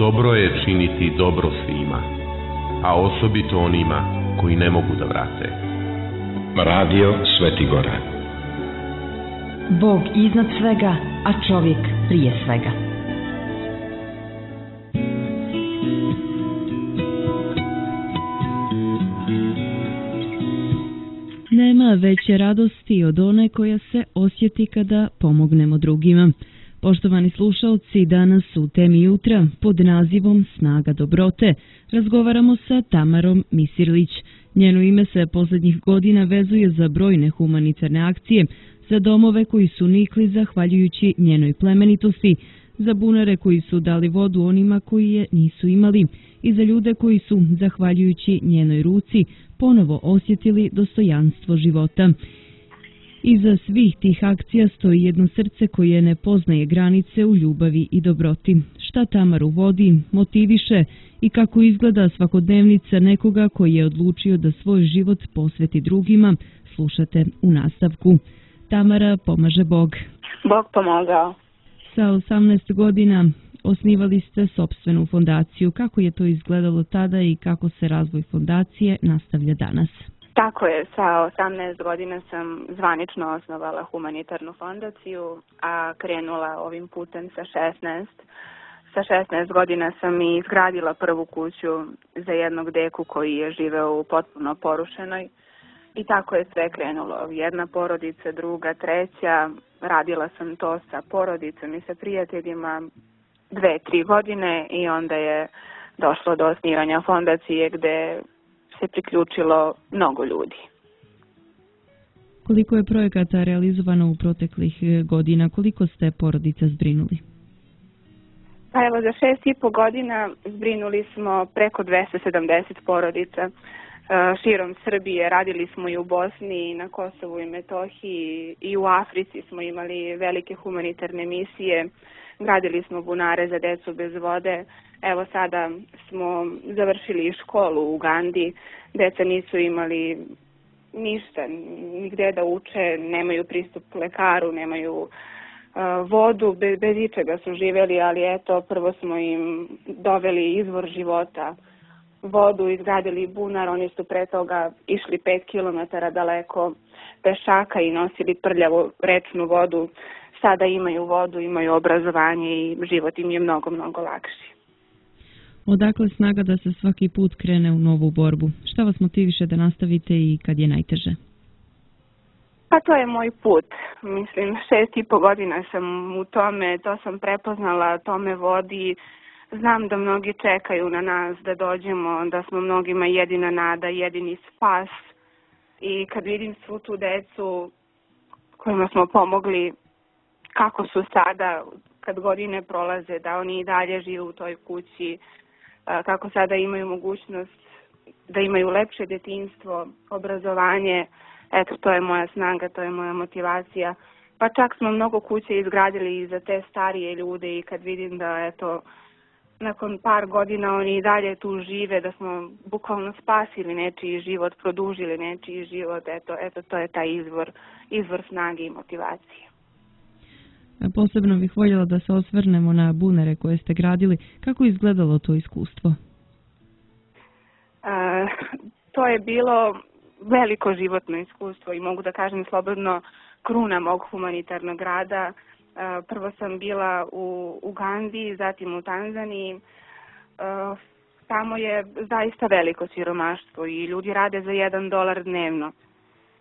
dobro je činiti dobro svima, a osobito onima koji ne mogu da vrate. Radio Sveti Gora. Bog iznad svega, a čovjek prije svega. Nema veće radosti od one koja se osjeti kada pomognemo drugima. Poštovani slušalci, danas u temi jutra pod nazivom Snaga dobrote razgovaramo sa Tamarom Misirlić. Njeno ime se posljednjih godina vezuje za brojne humanitarne akcije, za domove koji su nikli zahvaljujući njenoj plemenitosti, za bunare koji su dali vodu onima koji je nisu imali i za ljude koji su, zahvaljujući njenoj ruci, ponovo osjetili dostojanstvo života. Iza svih tih akcija stoji jedno srce koje ne poznaje granice u ljubavi i dobroti. Šta Tamaru vodi, motiviše i kako izgleda svakodnevnica nekoga koji je odlučio da svoj život posveti drugima, slušate u nastavku. Tamara, pomaže Bog. Bog pomogao. Sa 18 godina osnivali ste sopstvenu fondaciju. Kako je to izgledalo tada i kako se razvoj fondacije nastavlja danas? Tako je, sa 18 godina sam zvanično osnovala humanitarnu fondaciju, a krenula ovim putem sa 16. Sa 16 godina sam i izgradila prvu kuću za jednog deku koji je živeo u potpuno porušenoj. I tako je sve krenulo. Jedna porodica, druga, treća. Radila sam to sa porodicom i sa prijateljima 2-3 godine i onda je došlo do osnivanja fondacije gde se priključilo mnogo ljudi. Koliko je projekata realizovano u proteklih godina? Koliko ste porodica zbrinuli? Pa evo, za 6,5 godina zbrinuli smo preko 270 porodica širom Srbije. Radili smo i u Bosni, i na Kosovu i Metohiji, i u Africi smo imali velike humanitarne misije. Gradili smo bunare za decu bez vode. Evo sada smo završili školu u Ugandi. Deca nisu imali ništa, nigde da uče, nemaju pristup lekaru, nemaju vodu, bez ičega su živjeli, ali eto, prvo smo im doveli izvor života, vodu, izgradili bunar, oni su pre toga išli 5 km daleko pešaka i nosili prljavu rečnu vodu. Sada imaju vodu, imaju obrazovanje i život im je mnogo, mnogo lakši. Odakle snaga da se svaki put krene u novu borbu? Šta vas motiviše da nastavite i kad je najteže? Pa to je moj put. Mislim, 6,5 godina sam u tome, to sam prepoznala, to me vodi. Znam da mnogi čekaju na nas da dođemo, da smo mnogima jedina nada, jedini spas. I kad vidim svu tu decu kojima smo pomogli, kako su sada, kad godine prolaze, da oni i dalje žive u toj kući, kako sada imaju mogućnost da imaju lepše detinjstvo, obrazovanje, eto, to je moja snaga, to je moja motivacija. Pa čak smo mnogo kuće izgradili i za te starije ljude i kad vidim da, eto, nakon par godina oni i dalje tu žive, da smo bukvalno spasili nečiji život, produžili nečiji život, eto, to je taj izvor snage i motivacije. Posebno bih voljela da se osvrnemo na bunare koje ste gradili. Kako je izgledalo to iskustvo? To je bilo veliko životno iskustvo i mogu da kažem slobodno kruna mog humanitarnog rada. Prvo sam bila u Ugandi, zatim u Tanzaniji. Tamo je zaista veliko siromaštvo i ljudi rade za $1 dnevno.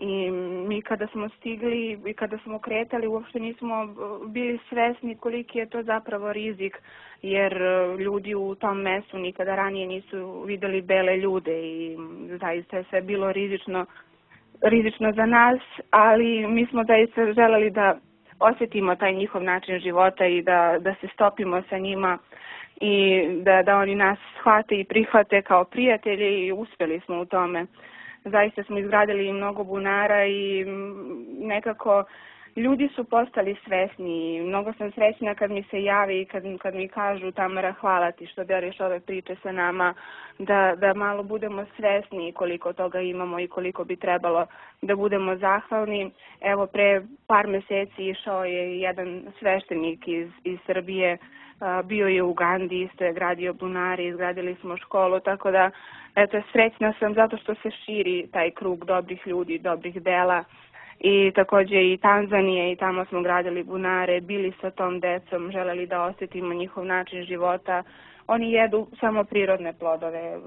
I mi kada smo stigli i kada smo kretali uopšte nismo bili svesni koliki je to zapravo rizik, jer ljudi u tom mestu nikada ranije nisu videli bele ljude i zaista je sve bilo rizično za nas, ali mi smo zaista želeli da osjetimo taj njihov način života i da se stopimo sa njima i da oni nas shvate i prihvate kao prijatelji i uspjeli smo u tome. Zaista smo izgradili mnogo bunara i nekako ljudi su postali svesni i mnogo sam srećna kad mi se javi i kad mi kažu Tamara, hvala ti što deliš ove priče sa nama, da malo budemo svesni koliko toga imamo i koliko bi trebalo da budemo zahvalni. Evo, pre par meseci išao je jedan sveštenik iz Srbije, bio je u Ugandi, isto je gradio bunare, izgradili smo školu, tako da eto, srećna sam zato što se širi taj krug dobrih ljudi, dobrih dela. I takođe i Tanzanije, i tamo smo gradili bunare, bili sa tom decom, želeli da osjetimo njihov način života. Oni jedu samo prirodne plodove,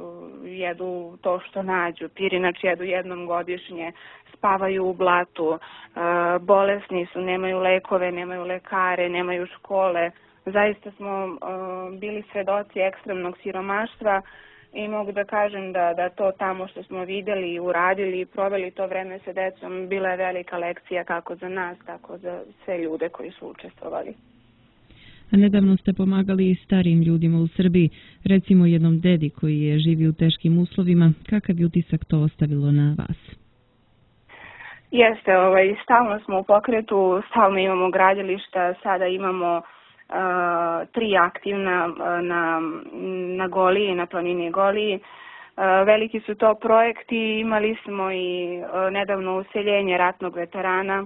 jedu to što nađu, pirinač jedu jednom godišnje, spavaju u blatu, bolesni su, nemaju lekove, nemaju lekare, nemaju škole. Zaista smo bili svedoci ekstremnog siromaštva i mogu da kažem da to tamo što smo videli, uradili i proveli to vreme sa decom bila je velika lekcija kako za nas, tako za sve ljude koji su učestvovali. A nedavno ste pomagali i starijim ljudima u Srbiji, recimo jednom dedi koji je živio u teškim uslovima. Kakav je utisak to ostavilo na vas? Jeste, stalno smo u pokretu, stalno imamo gradilišta, sada imamo 3 aktivna na Goliji, na planini Goliji. Veliki su to projekti, imali smo i nedavno useljenje ratnog veterana,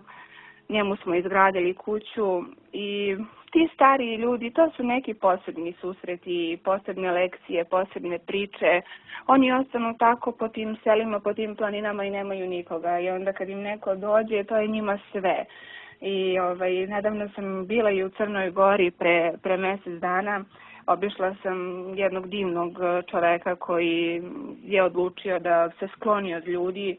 njemu smo izgradili kuću i ti stariji ljudi, to su neki posebni susreti, posebne lekcije, posebne priče. Oni ostanu tako po tim selima, po tim planinama i nemaju nikoga i onda kad im neko dođe, to je njima sve. I nedavno sam bila i u Crnoj Gori pre mesec dana. Obišla sam jednog divnog čoveka koji je odlučio da se skloni od ljudi,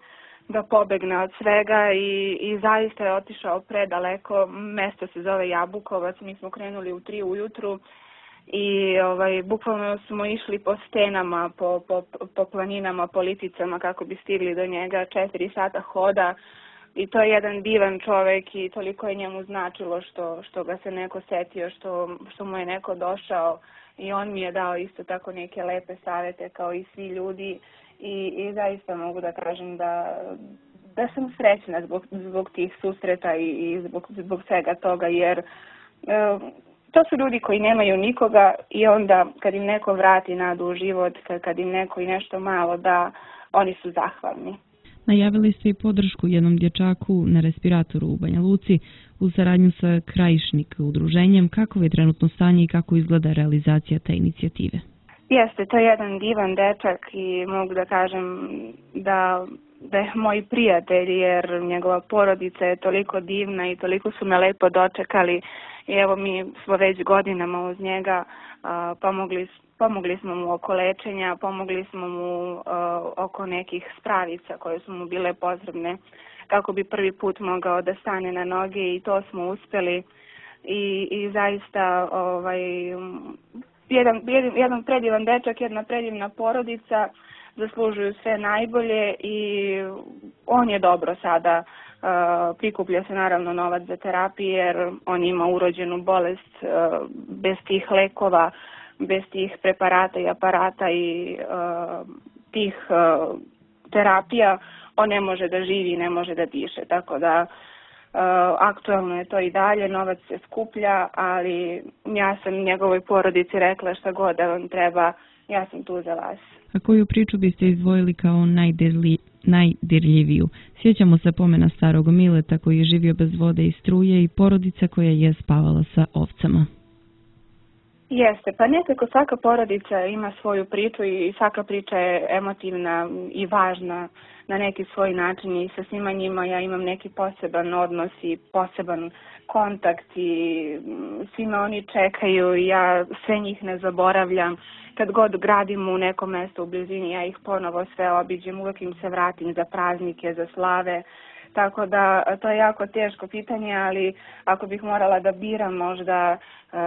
da pobegne od svega i zaista je otišao predaleko. Mesto se zove Jabukovac, mi smo krenuli u 3 ujutru i bukvalno smo išli po stenama, po planinama, po liticama kako bi stigli do njega, 4 sata hoda. I to je jedan divan čovek i toliko je njemu značilo što ga se neko setio, što mu je neko došao i on mi je dao isto tako neke lepe savete kao i svi ljudi i zaista mogu da kažem da sam srećna zbog tih susreta i zbog svega toga jer to su ljudi koji nemaju nikoga i onda kad im neko vrati nadu u život, kad im neko i nešto malo da, oni su zahvalni. Najavili ste i podršku jednom dječaku na respiratoru u Banja Luci u saradnju sa Krajišnik udruženjem. Kako je trenutno stanje i kako izgleda realizacija te inicijative? Jeste, to je jedan divan dečak i mogu da kažem da je moj prijatelj jer njegova porodica je toliko divna i toliko su me lepo dočekali i evo mi smo već godinama uz njega pomogli smo mu oko lečenja, pomogli smo mu oko nekih spravica koje su mu bile potrebne kako bi prvi put mogao da stane na noge i to smo uspeli i zaista jedan predivan dečak, jedna predivna porodica, zaslužuju sve najbolje i on je dobro sada. Prikuplja se naravno novac za terapiju jer on ima urođenu bolest bez tih lekova, bez tih preparata i aparata i tih terapija on ne može da živi i ne može da diše. Tako da aktualno je to i dalje, novac se skuplja, ali ja sam njegovoj porodici rekla šta god da vam treba, ja sam tu za vas. A koju priču biste izdvojili kao najdirljiviju? Sjećamo se pomena starog Mileta koji je živio bez vode i struje i porodica koja je spavala sa ovcama. Jeste, pa nekako svaka porodica ima svoju priču i svaka priča je emotivna i važna na neki svoj način i sa svima njima ja imam neki poseban odnos i poseban kontakt i svima oni čekaju i ja sve njih ne zaboravljam. Kad god gradim u neko mesto u blizini, ja ih ponovo sve obiđem, uvek im se vratim za praznike, za slave. Tako da to je jako teško pitanje, ali ako bih morala da biram možda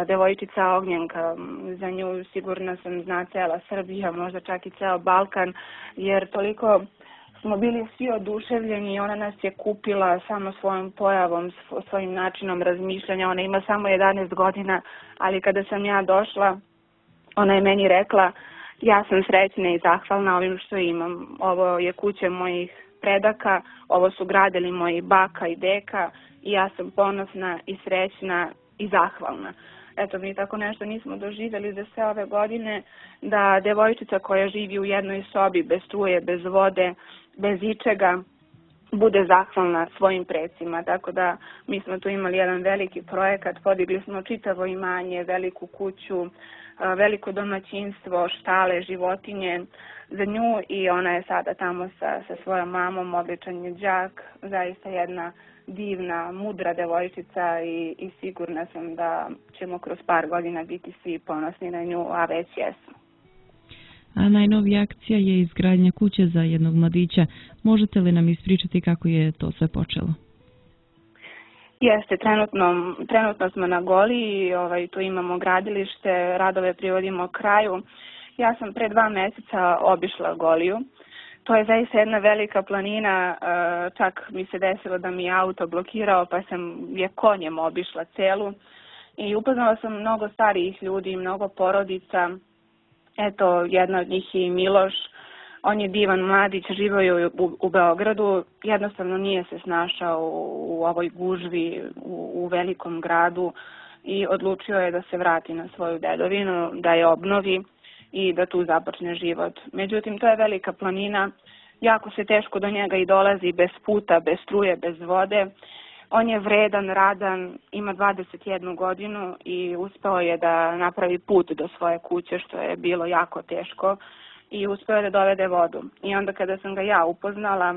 devojčica Ognjenka, za nju sigurno sam zna cela Srbija, možda čak i ceo Balkan, jer toliko smo bili svi oduševljeni i ona nas je kupila samo svojom pojavom, svojim načinom razmišljanja. Ona ima samo 11 godina, ali kada sam ja došla, ona je meni rekla, ja sam srećna i zahvalna ovim što imam. Ovo je kuća mojih predaka, ovo su gradili moji baka i deka i ja sam ponosna i srećna i zahvalna. Eto, mi tako nešto nismo doživjeli za sve ove godine, da devojčica koja živi u jednoj sobi bez struje, bez vode, bez ičega, bude zahvalna svojim precima. Tako da mi smo tu imali jedan veliki projekat, podigli smo čitavo imanje, veliku kuću, veliko domaćinstvo, štale, životinje za nju i ona je sada tamo sa svojom mamom, običan je đak, zaista jedna divna, mudra devojčica i sigurna sam da ćemo kroz par godina biti svi ponosni na nju, a već jesmo. A najnovija akcija je izgradnja kuće za jednog mladića. Možete li nam ispričati kako je to sve počelo? Jeste, trenutno smo na Goliji, tu imamo gradilište, radove privodimo kraju. Ja sam pre 2 meseca obišla Goliju. To je zaista jedna velika planina, čak mi se desilo da mi je auto blokirao pa sam je konjem obišla celu i upoznala sam mnogo starijih ljudi, mnogo porodica. Eto, jedna od njih je i Miloš, on je divan mladić, živio je u Beogradu, jednostavno nije se snašao u ovoj gužvi u velikom gradu i odlučio je da se vrati na svoju dedovinu, da je obnovi i da tu započne život. Međutim, to je velika planina, jako se teško do njega i dolazi bez puta, bez struje, bez vode. On je vredan, radan, ima 21 godinu i uspeo je da napravi put do svoje kuće, što je bilo jako teško, i uspeo je da dovede vodu. I onda kada sam ga ja upoznala,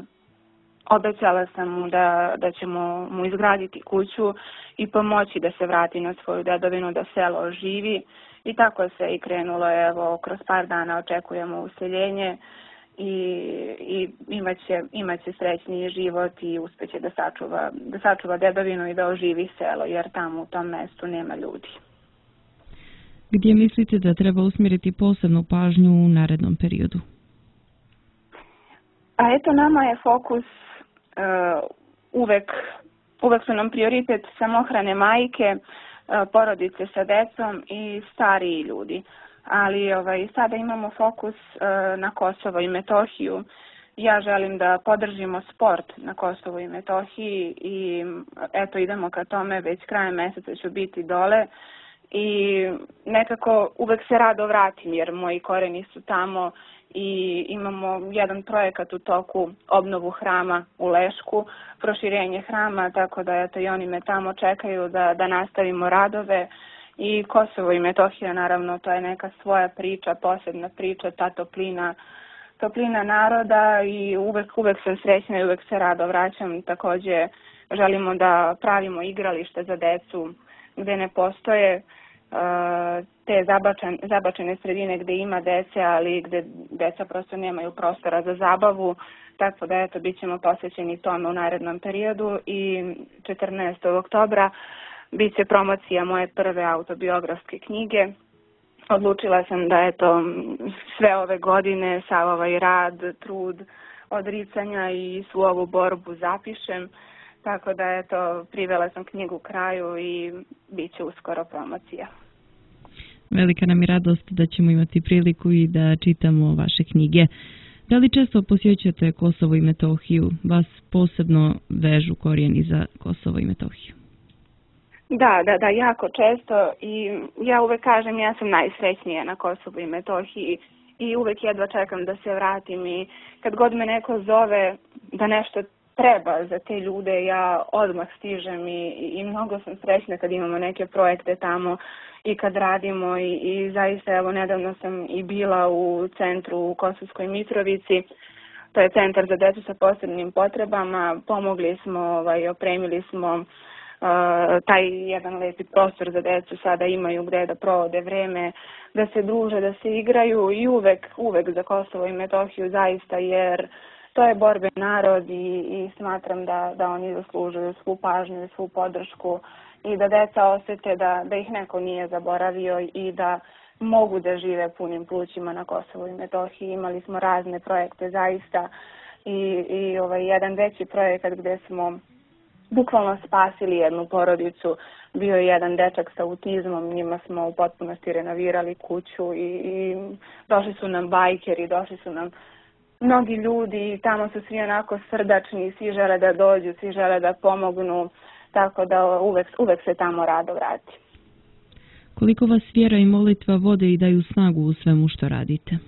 obećala sam mu da ćemo mu izgraditi kuću i pomoći da se vrati na svoju dedovinu, da selo oživi. I tako se i krenulo, evo, kroz par dana očekujemo useljenje i imaće srećniji život i uspeće da sačuva dedovinu i da oživi selo, jer tamo u tom mestu nema ljudi. Gdje mislite da treba usmjeriti posebnu pažnju u narednom periodu? A eto, nama je fokus uvek su nam prioritet samohrane majke, porodice sa decom i stariji ljudi. Ali sada imamo fokus na Kosovo i Metohiju. Ja želim da podržimo sport na Kosovu i Metohiji i eto, idemo ka tome, već krajem meseca ću biti dole i nekako uvek se rado vratim jer moji koreni su tamo i imamo jedan projekat u toku, obnovu hrama u Lešku, proširenje hrama, tako da eto, i oni me tamo čekaju da nastavimo radove. I Kosovo i Metohija, naravno, to je neka svoja priča, posebna priča, ta toplina naroda i uvek sam srećna i uvek se rado vraćam. Takođe želimo da pravimo igralište za decu gde ne postoje te zabačene sredine gde ima dece, ali gde deca prosto nemaju prostora za zabavu, tako da eto, bit ćemo posvećeni tome u narednom periodu i 14. oktobra bit će promocija moje prve autobiografske knjige. Odlučila sam da eto, sve ove godine, sav ovaj rad, trud, odricanja i svu ovu borbu zapišem, tako da eto, privela sam knjigu kraju i bit će uskoro promocija. Velika nam je radost da ćemo imati priliku i da čitamo vaše knjige. Da li često posjećate Kosovo i Metohiju? Vas posebno vežu korijeni za Kosovo i Metohiju? Da, jako često i ja uvek kažem ja sam najsrećnija na Kosovu i Metohiji i uvek jedva čekam da se vratim i kad god me neko zove da nešto treba za te ljude, ja odmah stižem i mnogo sam srećna kad imamo neke projekte tamo i kad radimo i zaista evo nedavno sam i bila u centru u Kosovskoj Mitrovici, to je centar za decu sa posebnim potrebama, pomogli smo, opremili smo taj jedan lepi prostor za decu, sada imaju gde da provode vreme, da se druže, da se igraju i uvek za Kosovo i Metohiju zaista, jer to je borben narod i smatram da oni zaslužuju svu pažnju i svu podršku i da deca osete da ih neko nije zaboravio i da mogu da žive punim plućima na Kosovu i Metohiji. Imali smo razne projekte zaista i jedan veći projekat gde smo bukvalno spasili jednu porodicu, bio je jedan dečak sa autizmom, njima smo u potpunosti renovirali kuću i došli su nam bajkeri, došli su nam mnogi ljudi i tamo su svi onako srdačni, svi žele da dođu, svi žele da pomognu tako da uvek se tamo rado vrati. Koliko vas vjera i molitva vode i daju snagu u svemu što radite?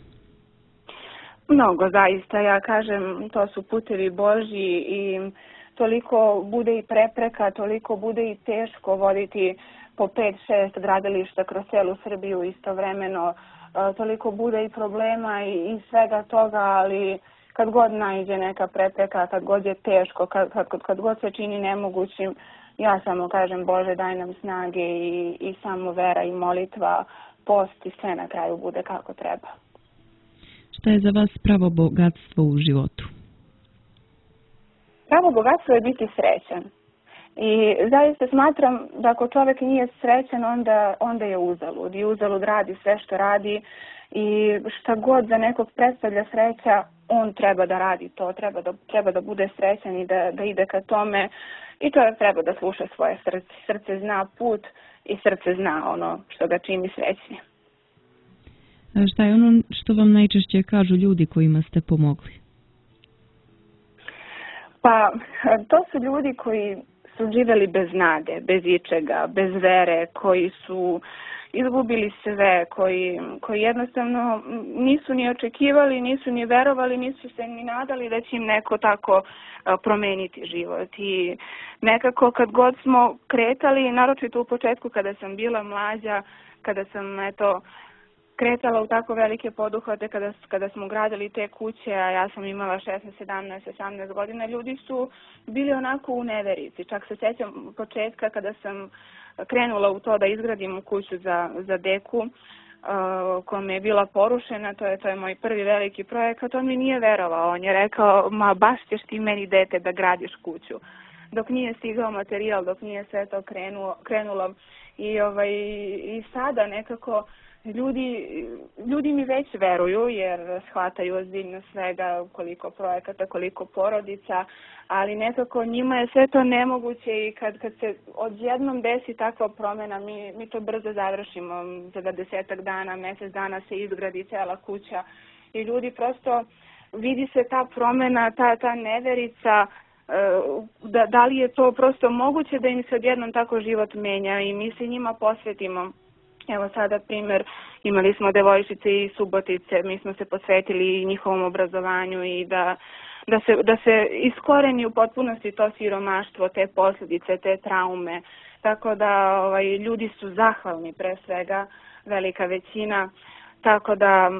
Mnogo, zaista. Ja kažem, to su putevi Božji i toliko bude i prepreka, toliko bude i teško voditi po 5-6 gradilišta kroz celu Srbiju istovremeno. Toliko bude i problema i svega toga, ali kad god naiđe neka prepreka, kad god je teško, kad god se čini nemogućim, ja samo kažem, Bože, daj nam snage i samo vera i molitva, post i sve na kraju bude kako treba. Šta je za vas pravo bogatstvo u životu? Pravo bogatstvo je biti srećan. I zaista smatram da ako čovjek nije srećan, onda je uzalud. I uzalud radi sve što radi i šta god za nekog predstavlja sreća, on treba da radi to, treba da bude srećan i da ide ka tome. I čovjek treba da sluša svoje srce. Srce zna put i srce zna ono što ga čini srećnim. Šta je ono što vam najčešće kažu ljudi kojima ste pomogli? Pa, to su ljudi koji su živjeli bez nade, bez ičega, bez vere, koji su izgubili sve, koji jednostavno nisu ni očekivali, nisu ni verovali, nisu se ni nadali da će im neko tako promeniti život. I nekako kad god smo kretali, naročito u početku kada sam bila mlađa, kada sam kretala u tako velike poduhvate, kada smo gradili te kuće, a ja sam imala 16, 17, 18 godina, ljudi su bili onako u neverici. Čak se sjećam početka kada sam krenula u to da izgradim kuću za deku, kome je bila porušena, to je moj prvi veliki projekat, on mi nije verovao. On je rekao, ma baš ćeš ti meni dete da gradiš kuću. Dok nije stigao materijal, dok nije sve to krenulo. I sada nekako ljudi mi već veruju jer shvataju ozbiljno svega, koliko projekata, koliko porodica, ali nekako njima je sve to nemoguće i kad se odjednom desi takva promjena, mi to brzo završimo. Za 10 dana, mjesec dana se izgradi cela kuća i ljudi prosto vidi se ta promjena, ta neverica, da li je to prosto moguće da im se odjednom tako život menja i mi se njima posvetimo. Evo sada primjer, imali smo devojčice iz Subotice, mi smo se posvetili njihovom obrazovanju i da se iskoreni u potpunosti to siromaštvo, te posljedice, te traume. Tako da ljudi su zahvalni pre svega, velika većina. Tako da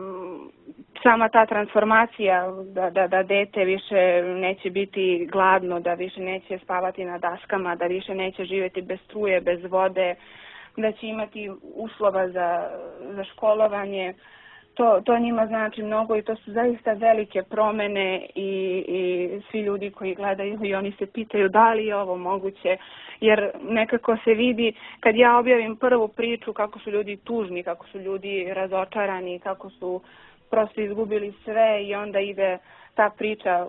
sama ta transformacija da dete više neće biti gladno, da više neće spavati na daskama, da više neće živjeti bez struje, bez vode, da će imati uslova za školovanje, to njima znači mnogo i to su zaista velike promjene i svi ljudi koji gledaju i oni se pitaju da li je ovo moguće, jer nekako se vidi kad ja objavim prvu priču kako su ljudi tužni, kako su ljudi razočarani, kako su prosto izgubili sve i onda ide ta priča,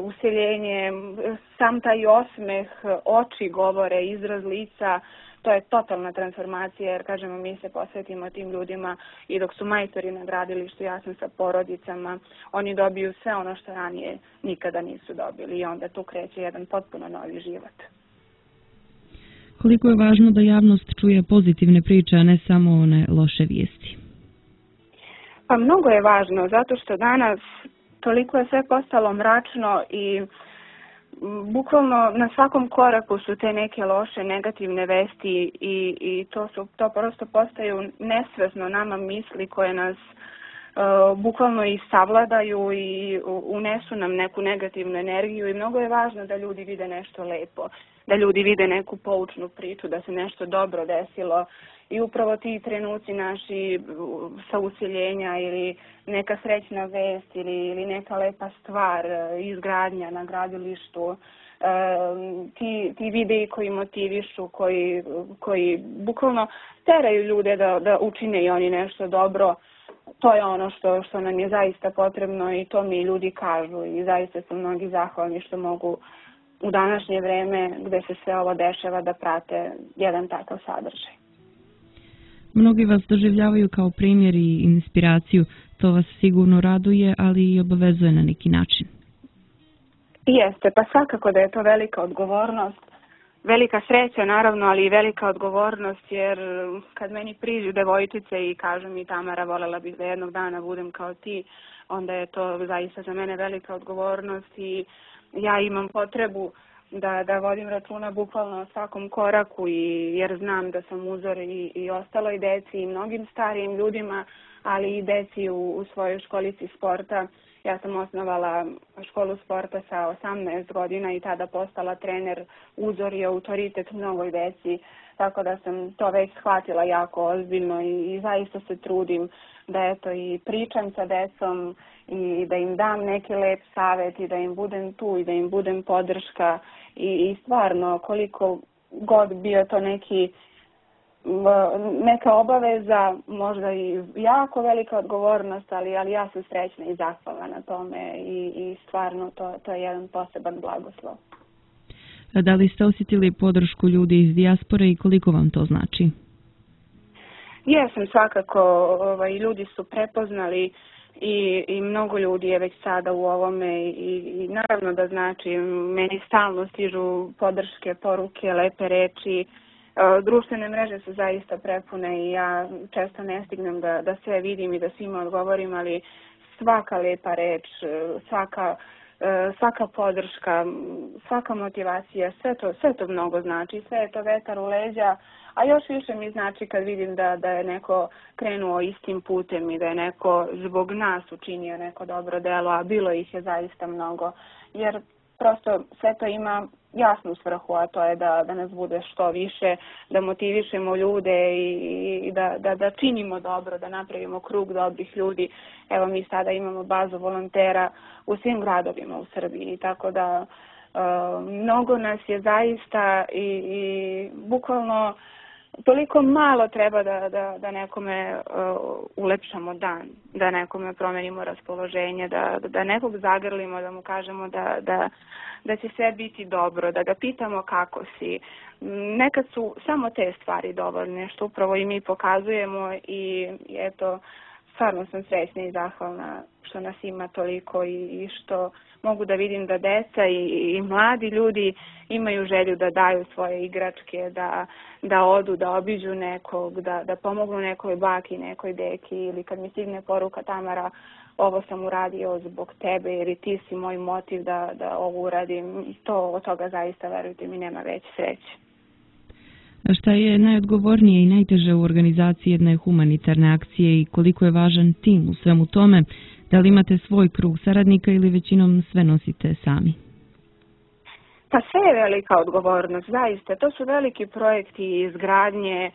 useljenje, sam taj osmeh, oči govore, izraz lica. To je totalna transformacija jer, kažemo, mi se posvetimo tim ljudima i dok su majstori na gradilištu, ja sam sa porodicama, oni dobiju sve ono što ranije nikada nisu dobili i onda tu kreće jedan potpuno novi život. Koliko je važno da javnost čuje pozitivne priče, a ne samo one loše vijesti? Pa mnogo je važno, zato što danas toliko je sve postalo mračno i bukvalno na svakom koraku su te neke loše, negativne vesti i to prosto postaju nesvesno nama misli koje nas bukvalno i savladaju i unesu nam neku negativnu energiju i mnogo je važno da ljudi vide nešto lepo, da ljudi vide neku poučnu priču, da se nešto dobro desilo i upravo ti trenuci naši sa useljenja ili neka srećna vest ili neka lepa stvar, izgradnja na gradilištu, ti videi koji motivišu, koji bukvalno teraju ljude da učine i oni nešto dobro, to je ono što nam je zaista potrebno i to mi ljudi kažu i zaista su mnogi zahvalni što mogu u današnje vreme gde se sve ovo dešava da prate jedan takav sadržaj. Mnogi vas doživljavaju kao primjer i inspiraciju, to vas sigurno raduje, ali i obavezuje na neki način. Jeste, pa svakako da je to velika odgovornost. Velika sreća naravno, ali i velika odgovornost, jer kad meni priđu devojčice i kažu mi Tamara, volela bih da jednog dana budem kao ti, onda je to zaista za mene velika odgovornost i ja imam potrebu da vodim računa bukvalno o svakom koraku jer znam da sam uzor i ostaloj deci i mnogim starijim ljudima, ali i deci u svojoj školici sporta. Ja sam osnovala školu sporta sa 18 godina i tada postala trener, uzor i autoritet mnogoj deci, tako da sam to već shvatila jako ozbiljno i zaista se trudim da eto i pričam sa decom i da im dam neki lep savjet i da im budem tu i da im budem podrška i stvarno koliko god bio to neka obaveza, možda i jako velika odgovornost, ali ja sam srećna i zahvalna na tome i stvarno to je jedan poseban blagoslov. Da li ste osjetili podršku ljudi iz dijaspore i koliko vam to znači? Jesam, svakako, ljudi su prepoznali i mnogo ljudi je već sada u ovome i naravno da znači, meni stalno stižu podrške, poruke, lepe reči. Društvene mreže su zaista prepune i ja često ne stignem da sve vidim i da svima odgovorim, ali svaka lepa reč, svaka podrška, svaka motivacija, sve to mnogo znači, sve je to vetar u leđa, a još više mi znači kad vidim da je neko krenuo istim putem i da je neko zbog nas učinio neko dobro delo, a bilo ih je zaista mnogo, jer prosto sve to ima jasnu svrhu, a to je da nas bude što više, da motivišemo ljude i da činimo dobro, da napravimo krug dobrih ljudi. Evo mi sada imamo bazu volontera u svim gradovima u Srbiji, tako da mnogo nas je zaista i bukvalno toliko malo treba da nekome ulepšamo dan, da nekome promenimo raspoloženje, da nekog zagrlimo, da mu kažemo da će sve biti dobro, da ga pitamo kako si. Nekad su samo te stvari dovoljne, što upravo i mi pokazujemo i eto, stvarno sam srećna i zahvalna što nas ima toliko i što mogu da vidim da deca i mladi ljudi imaju želju da daju svoje igračke, da odu, da obiđu nekog, da pomognu nekoj baki, nekoj deki ili kad mi stigne poruka Tamara, ovo sam uradio zbog tebe jer i ti si moj motiv da ovo uradim. Od toga zaista, verujte mi, nema veće sreće. A šta je najodgovornije i najteže u organizaciji jedne humanitarne akcije i koliko je važan tim u svemu tome? Da li imate svoj krug saradnika ili većinom sve nosite sami? Pa sve je velika odgovornost, zaista. To su veliki projekti izgradnje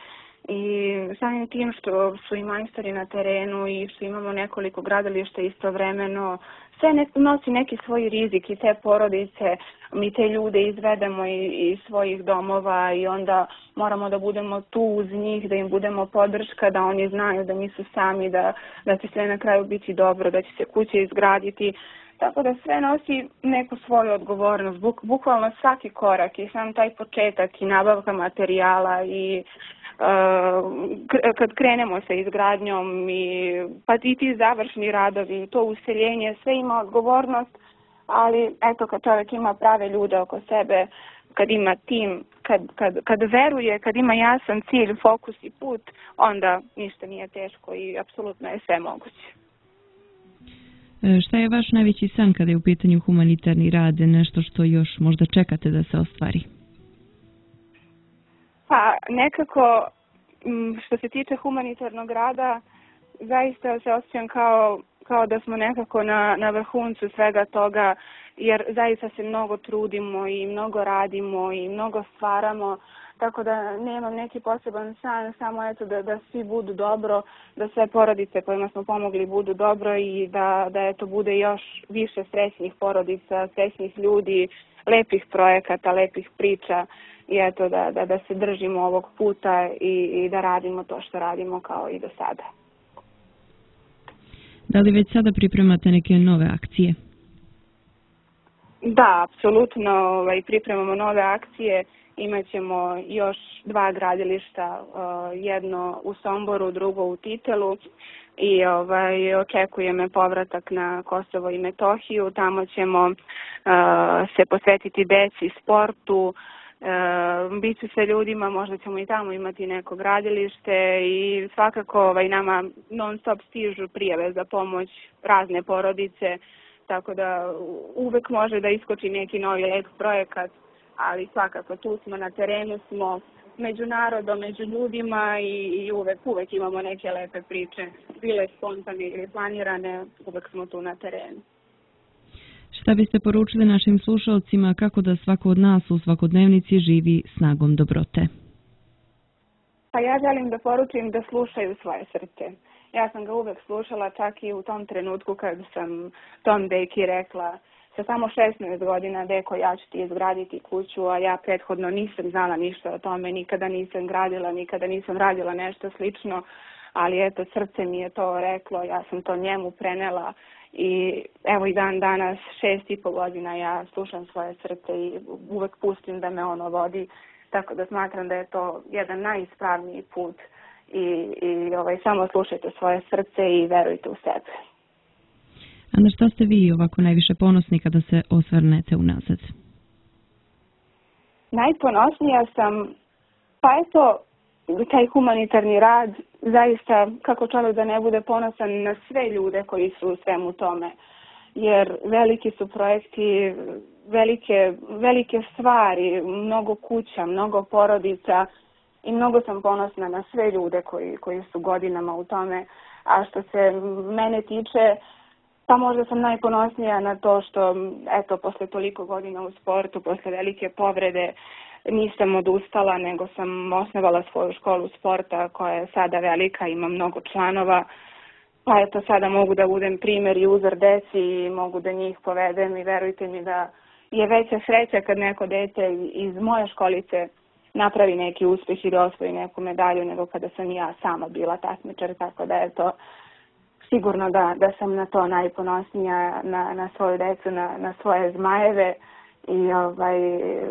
i samim tim što su i majstori na terenu i što imamo nekoliko gradilišta istovremeno, sve nosi neki svoj rizik i te porodice, mi te ljude izvedemo iz svojih domova i onda moramo da budemo tu uz njih, da im budemo podrška, da oni znaju da nisu sami, da će sve na kraju biti dobro, da će se kuće izgraditi. Tako da sve nosi neku svoju odgovornost, bukvalno svaki korak i sam taj početak i nabavka materijala i kad krenemo sa izgradnjom pa i ti završni radovi, to useljenje, sve ima odgovornost, ali eto kad čovjek ima prave ljude oko sebe, kad ima tim, kad veruje, kad ima jasan cilj, fokus i put, onda ništa nije teško i apsolutno je sve moguće. Šta je vaš najveći san kada je u pitanju humanitarni rad, nešto što još možda čekate da se ostvari? Pa nekako što se tiče humanitarnog rada, zaista se osjećam kao da smo nekako na vrhuncu svega toga, jer zaista se mnogo trudimo i mnogo radimo i mnogo stvaramo, tako da nemam neki poseban san, samo eto da svi budu dobro, da sve porodice kojima smo pomogli budu dobro i da eto bude još više srećnih porodica, srećnih ljudi, lepih projekata, lepih priča i eto da se držimo ovog puta i da radimo to što radimo kao i do sada. Da li već sada pripremate neke nove akcije? Da, apsolutno pripremamo nove akcije. Imaćemo još 2 gradilišta, jedno u Somboru, drugo u Titelu i očekuje me povratak na Kosovo i Metohiju. Tamo ćemo se posvetiti deci, sportu, biću sa ljudima, možda ćemo i tamo imati neko gradilište i svakako nama non stop stižu prijave za pomoć razne porodice, tako da uvek može da iskoči neki novi lep projekat, ali svakako tu smo, na terenu smo, među narodom, među ljudima i uvek imamo neke lepe priče, bile spontane ili planirane, uvek smo tu na terenu. Šta biste poručili našim slušalcima kako da svako od nas u svakodnevnici živi snagom dobrote? Pa ja želim da poručim da slušaju svoje srce. Ja sam ga uvek slušala, čak i u tom trenutku kad sam tom deki rekla sa samo 16 godina, deko, ja ću ti izgraditi kuću, a ja prethodno nisam znala ništa o tome, nikada nisam gradila, nikada nisam radila nešto slično, ali eto, srce mi je to reklo, ja sam to njemu prenela i evo i dan danas, 6,5 godina, ja slušam svoje srce i uvek pustim da me ono vodi, tako da smatram da je to jedan najispravniji put i samo slušajte svoje srce i verujte u sebe. A na što ste vi ovako najviše ponosni kada se osvrnete unazad? Najponosnija sam, pa eto, taj humanitarni rad, zaista kako čovjek da ne bude ponosan na sve ljude koji su u svemu tome. Jer veliki su projekti, velike stvari, mnogo kuća, mnogo porodica i mnogo sam ponosna na sve ljude koji su godinama u tome. A što se mene tiče, pa možda sam najponosnija na to što, eto, posle toliko godina u sportu, posle velike povrede, nisam odustala, nego sam osnovala svoju školu sporta koja je sada velika, ima mnogo članova. Pa eto, sada mogu da budem primjer i uzor deci i mogu da njih povedem i verujte mi da je veća sreća kad neko dete iz moje školice napravi neki uspjeh i da osvoji neku medalju nego kada sam ja sama bila takmičar, tako da je to sigurno da sam na to najponosnija, na svoju decu, na svoje zmajeve i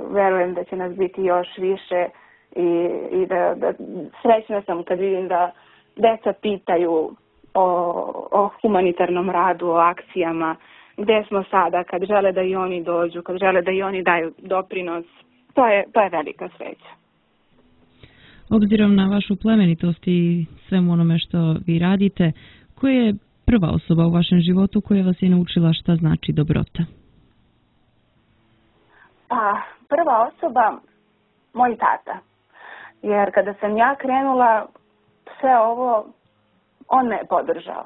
verujem da će nas biti još više i da srećna sam kad vidim da deca pitaju o humanitarnom radu, o akcijama, gde smo sada, kad žele da i oni dođu, kad žele da i oni daju doprinos. To je velika sreća. Obzirom na vašu plemenitost i svemu onome što vi radite, koja je prva osoba u vašem životu koja vas je naučila šta znači dobrota? Pa, prva osoba, moj tata. Jer kada sam ja krenula sve ovo, on me je podržao.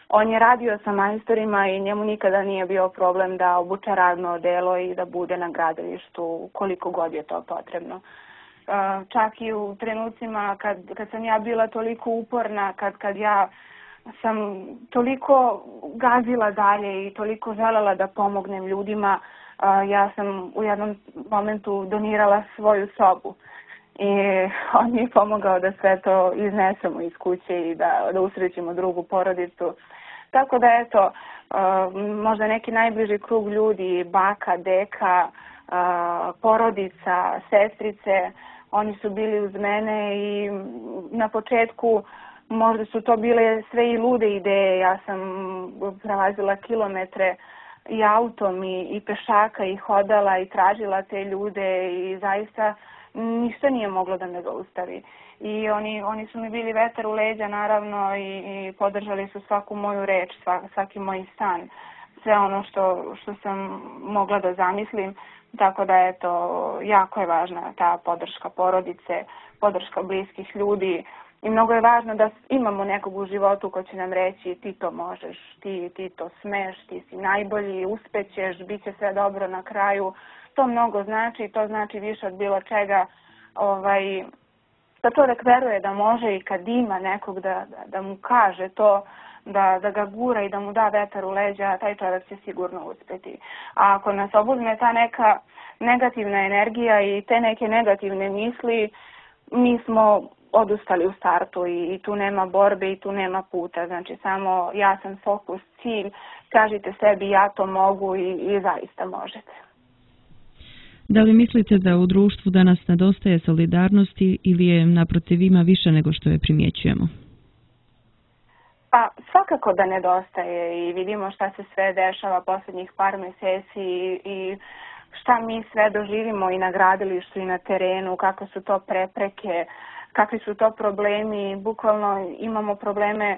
On je radio sa majstorima i njemu nikada nije bio problem da obuče radno odelo i da bude na gradilištu koliko god je to potrebno. Čak i u trenucima kad sam ja bila toliko uporna, kad ja sam toliko gazila dalje i toliko želela da pomognem ljudima, ja sam u jednom momentu donirala svoju sobu. I on mi je pomogao da sve to iznesemo iz kuće i da usrećimo drugu porodicu. Tako da eto, možda neki najbliži krug ljudi, baka, deka, porodica, sestrice, oni su bili uz mene i na početku možda su to bile sve i lude ideje. Ja sam prelazila kilometre i autom i pešaka i hodala i tražila te ljude i zaista ništa nije moglo da me zaustavi. I oni su mi bili vetar u leđa naravno i podržali su svaku moju reč, svaki moj san, sve ono što sam mogla da zamislim. Tako da eto, jako je važna ta podrška porodice, podrška bliskih ljudi i mnogo je važno da imamo nekog u životu ko će nam reći ti to možeš, ti to smeš, ti si najbolji, uspećeš, bit će sve dobro na kraju. To mnogo znači, to znači više od bilo čega. Da čovjek veruje da može i kad ima nekog da mu kaže to, da ga gura i da mu da vetar u leđa, taj čovjek će sigurno uspjeti. A ako nas obuzme ta neka negativna energija i te neke negativne misli, mi smo odustali u startu i tu nema borbe i tu nema puta. Znači samo jasan fokus, cilj, kažite sebi ja to mogu i zaista možete. Da li mislite da u društvu danas nedostaje solidarnosti ili je naprotiv ima više nego što je primjećujemo? Pa svakako da nedostaje i vidimo šta se sve dešava posljednjih par mjeseci i šta mi sve doživimo i na gradilištu i na terenu, kakve su to prepreke, kakvi su to problemi. Bukvalno imamo probleme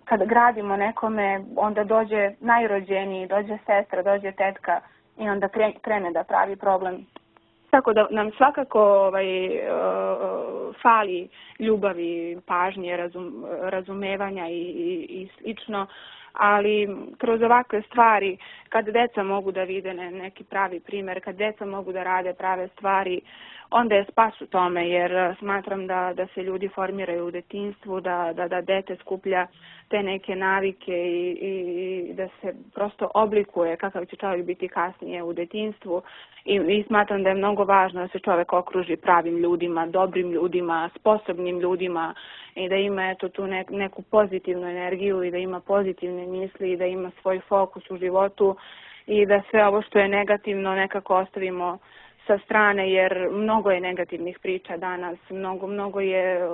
kad gradimo nekome, onda dođe najrođeniji, dođe sestra, dođe tetka i onda krene da pravi problem. Tako da nam svakako fali ljubavi, pažnje, razumevanja i slično, ali kroz ovakve stvari, kad deca mogu da vide neki pravi primjer, kad deca mogu da rade prave stvari, onda je spas u tome, jer smatram da se ljudi formiraju u detinjstvu, da dete skuplja te neke navike i da se prosto oblikuje kakav će čovjek biti kasnije u detinjstvu i smatram da je mnogo važno da se čovjek okruži pravim ljudima, dobrim ljudima, sposobnim ljudima i da ima tu neku pozitivnu energiju i da ima pozitivne misli i da ima svoj fokus u životu i da sve ovo što je negativno nekako ostavimo sa strane, jer mnogo je negativnih priča danas, mnogo je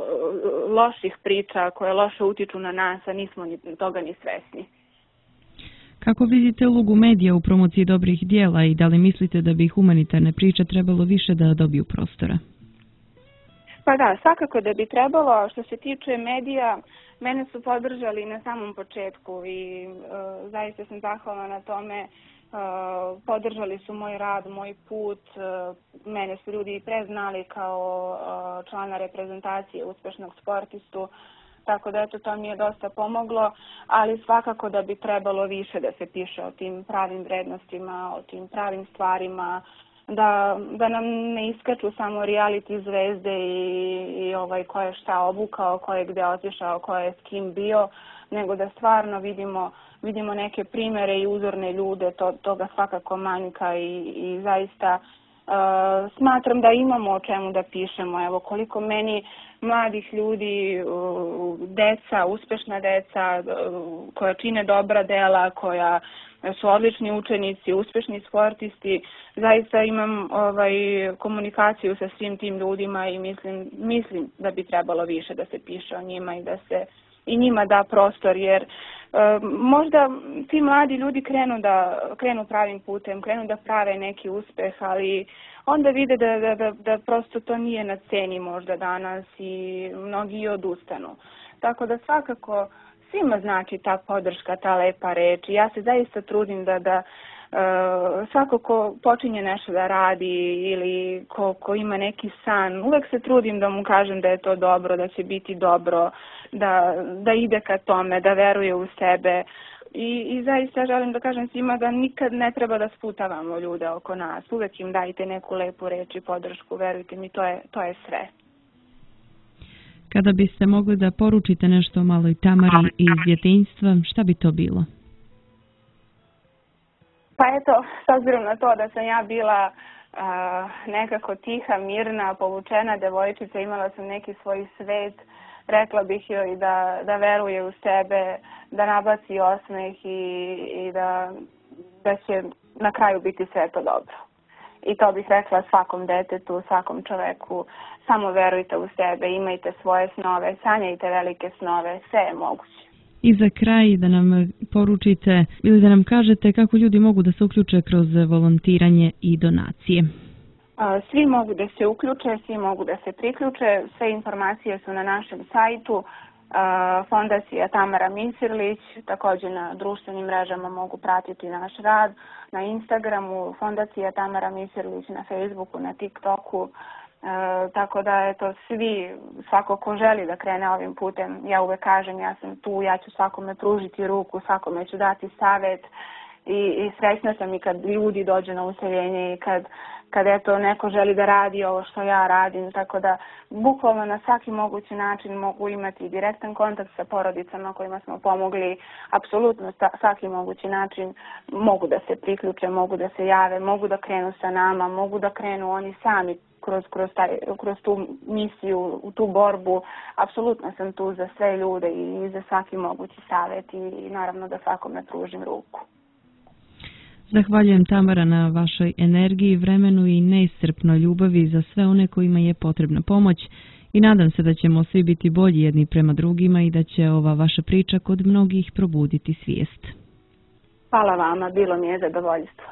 loših priča koje loše utiču na nas, a nismo toga ni svesni. Kako vidite ulogu medija u promociji dobrih dijela i da li mislite da bi humanitarne priče trebalo više da dobiju prostora? Pa da, svakako da bi trebalo. Što se tiče medija, mene su podržali na samom početku i zaista sam zahvalna na tome. Podržali su moj rad, moj put, mene su ljudi preznali kao člana reprezentacije, uspešnog sportistu, tako da to mi je dosta pomoglo, ali svakako da bi trebalo više da se piše o tim pravim vrednostima, o tim pravim stvarima, da nam ne iskaču samo reality zvezde i ko je šta obukao, ko je gde otišao, ko je s kim bio, nego da stvarno vidimo neke primjere i uzorne ljude, toga svakako manjka i zaista smatram da imamo o čemu da pišemo. Evo koliko meni mladih ljudi, deca, uspešna deca koja čine dobra dela, koja su odlični učenici, uspešni sportisti, zaista imam komunikaciju sa svim tim ljudima i mislim da bi trebalo više da se piše o njima i da se i njima da prostor, jer možda ti mladi ljudi krenu pravim putem, krenu da prave neki uspeh, ali onda vide da prosto to nije na ceni možda danas i mnogi odustanu. Tako da svakako svima znači ta podrška, ta lepa reč. Ja se zaista trudim da svako ko počinje nešto da radi ili ko ima neki san, uvek se trudim da mu kažem da je to dobro, da će biti dobro, da ide ka tome, da veruje u sebe. I zaista želim da kažem svima da nikad ne treba da sputavamo ljude oko nas. Uvek im dajte neku lepu reč i podršku, verujte mi, to je sve. Kada biste mogli da poručite nešto maloj Tamari iz djetinjstva, šta bi to bilo? Pa eto, s obzirom na to da sam ja bila nekako tiha, mirna, povučena devojčica, imala sam neki svoj svet, rekla bih joj da veruje u sebe, da nabaci osmeh i da će na kraju biti sve to dobro. I to bih rekla svakom detetu, svakom čoveku, samo verujte u sebe, imajte svoje snove, sanjajte velike snove, sve je moguće. I za kraj da nam poručite ili da nam kažete kako ljudi mogu da se uključe kroz volontiranje i donacije. Svi mogu da se uključe, svi mogu da se priključe, sve informacije su na našem sajtu, Fondacija Tamara Misirlić, također na društvenim mrežama mogu pratiti naš rad, na Instagramu, Fondacija Tamara Misirlić, na Facebooku, na TikToku, tako da svi, svako ko želi da krene ovim putem, ja uvek kažem ja sam tu, ja ću svakome pružiti ruku, svakome ću dati savjet i srećna sam i kad ljudi dođu na useljenje i kad neko želi da radi ovo što ja radim, tako da bukvalno na svaki mogući način mogu imati direktan kontakt sa porodicama kojima smo pomogli, apsolutno svaki mogući način mogu da se priključe, mogu da se jave, mogu da krenu sa nama, mogu da krenu oni sami kroz tu misiju, u tu borbu. Apsolutno sam tu za sve ljude i za svaki mogući savjet i naravno da svakome pružim ruku. Zahvaljujem, Tamara, na vašoj energiji, vremenu i neiscrpnoj ljubavi za sve one kojima je potrebna pomoć i nadam se da ćemo svi biti bolji jedni prema drugima i da će ova vaša priča kod mnogih probuditi svijest. Hvala vama, bilo mi je zadovoljstvo.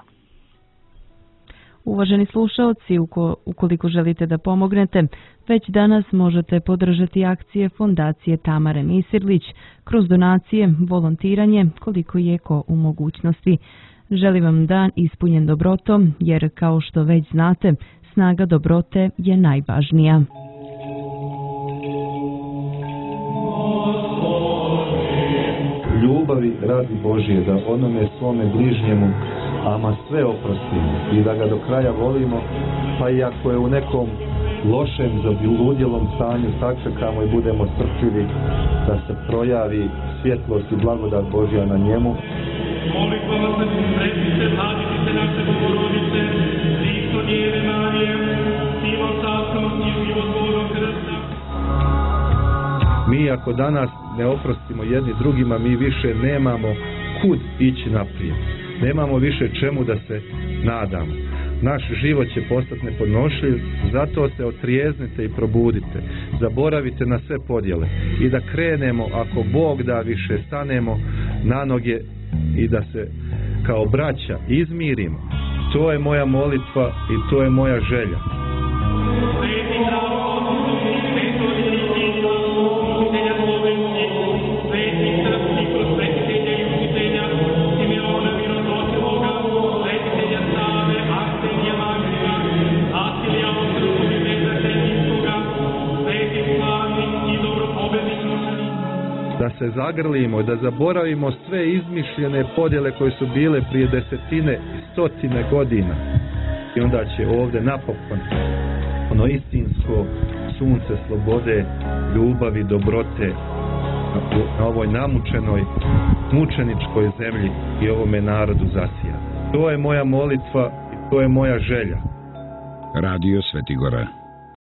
Uvaženi slušaoci, ukoliko želite da pomognete, već danas možete podržati akcije Fondacije Tamare Misirlić kroz donacije, volontiranje, koliko je ko u mogućnosti. Želim vam dan ispunjen dobrotom, jer kao što već znate, snaga dobrote je najvažnija. Ljubavi radi Božije, da onome svome bližnjemu ama sve oprostimo i da ga do kraja volimo, pa i ako je u nekom lošem, zabludjelom stanju, sačekamo i budemo strpljivi da se projavi svjetlost i blagodat Božja na njemu. Molitvama se susretite, mladite naše Bogorodice, Hristo Djeve Marije, silom častom i životvornog krsta. Mi ako danas ne oprostimo jedni drugima, mi više nemamo kud ići naprijed. Nemamo više čemu da se nadamo. Naš život će postati nepodnošljiv, zato se otrijeznite i probudite. Zaboravite na sve podjele i da krenemo, ako Bog da, više stanemo na noge i da se kao braća izmirimo. To je moja molitva i to je moja želja. Da se zagrlimo, da zaboravimo sve izmišljene podjele koje su bile prije desetine i stotine godina. I onda će ovdje napokon ono istinsko sunce slobode, ljubavi, dobrote na ovoj namučenoj, mučeničkoj zemlji i ovome narodu zasija. To je moja molitva i to je moja želja. Radio Svetigora.